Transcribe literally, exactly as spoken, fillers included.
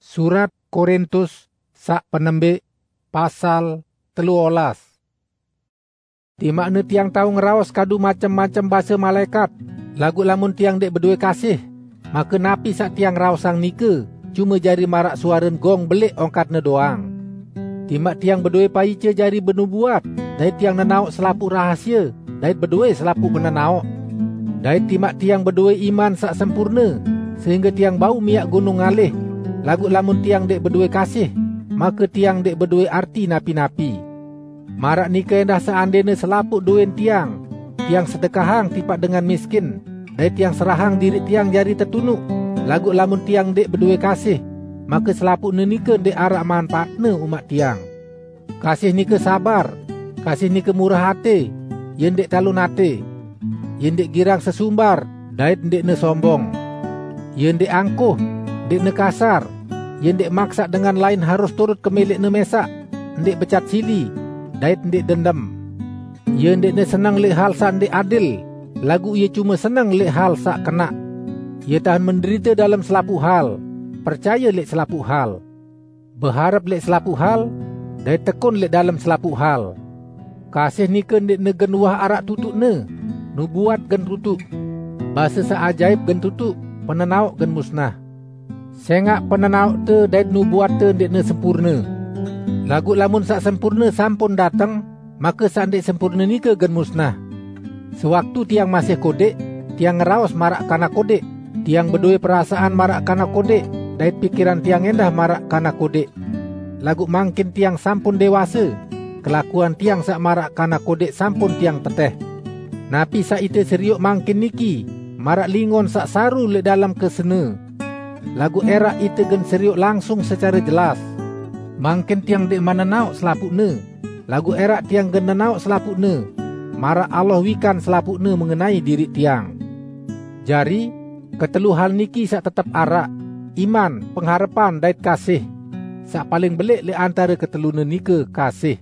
Surat Korintus saq penembik, pasal teluolas. Timaqne tiang tao ngeraos kadu macem-macem base malaekat, laguq lamun tiang ndeq bedoe kasih, make napi saq tiang raosang nike cume jari maraq suaren gong beleq ongkatne doang. Timaq tiang bedoe paice jari benubuat, dait tiang nenaoq selapuq rahasie, dait bedoe selapuq penenaoq. Dait timaq tiang bedoe iman saq sempurne, sehingge tiang bau miaq gunung ngalih, laguq lamun tiang ndeq bedoe kasih, make tiang ndeq bedoe arti napi-napi. Maraq nike endah seandene selapuq doen tiang, tiang sedekahang tipaq dengan miskin, dait tiang serahang diriq tiang jari tetunuq, laguq lamun tiang ndeq bedoe kasih, make selapuqne nike ndeq araq manpaatne umaq tiang. Kasih nike sabar, kasih nike murah ate, ie ndeq talon ate, ie ndeq girang sesumbar, dait ndeqne sombong. Ie ndeq angkuh, ndeqne kasar, ie ndeq maksaq dengan lain harus turut kemeleqne mesaq, ndeq becat sili, dait ndeq dendem. Ie ndeqne seneng leq hal saq ndeq adil, laguq ie cume seneng leq hal saq kenaq. Ie tahen menderite dalem selapuq hal, percaye leq selapuq hal, beharep leq selapuq hal, dait tekun leq dalem selapuq hal. Kasih nike ndeqne gen uwah araq tutuqne, nubuat gen tutuq, base saq ajaip gen tutuq, penenaoq gen musnah. Sengaq penenaoqte dait nubuatte ndeqne sempurne. Laguq lamun saq sempurne sampun dateng, make saq ndeq sempurne nike gen musnah. Sewaktu tiang masih kodeq, tiang ngeraos maraq kanak kodeq, tiang bedoe perasaan maraq kanak kodeq, dait pikiran tiang endah maraq kanak kodeq. Laguq mangkin tiang sampun dewase, kelakuan tiang saq maraq kanak kodeq sampun tiang teteh. Napi saq ite serioq mangkin niki, maraq lingon saq saru leq dalem kesene. Laguq eraq ite gen serioq langsung secare jelas. Mangkin tiang ndeqman nenaoq selapuqne, laguq eraq tiang gen nenaoq selapuqne, maraq Allah wikan selapuqne mengenai diriq tiang. Jari, ketelu hal niki saq tetep araq: iman, pengharepan, dait kasih. Saq paling beleq leq antare ketelune nike kasih.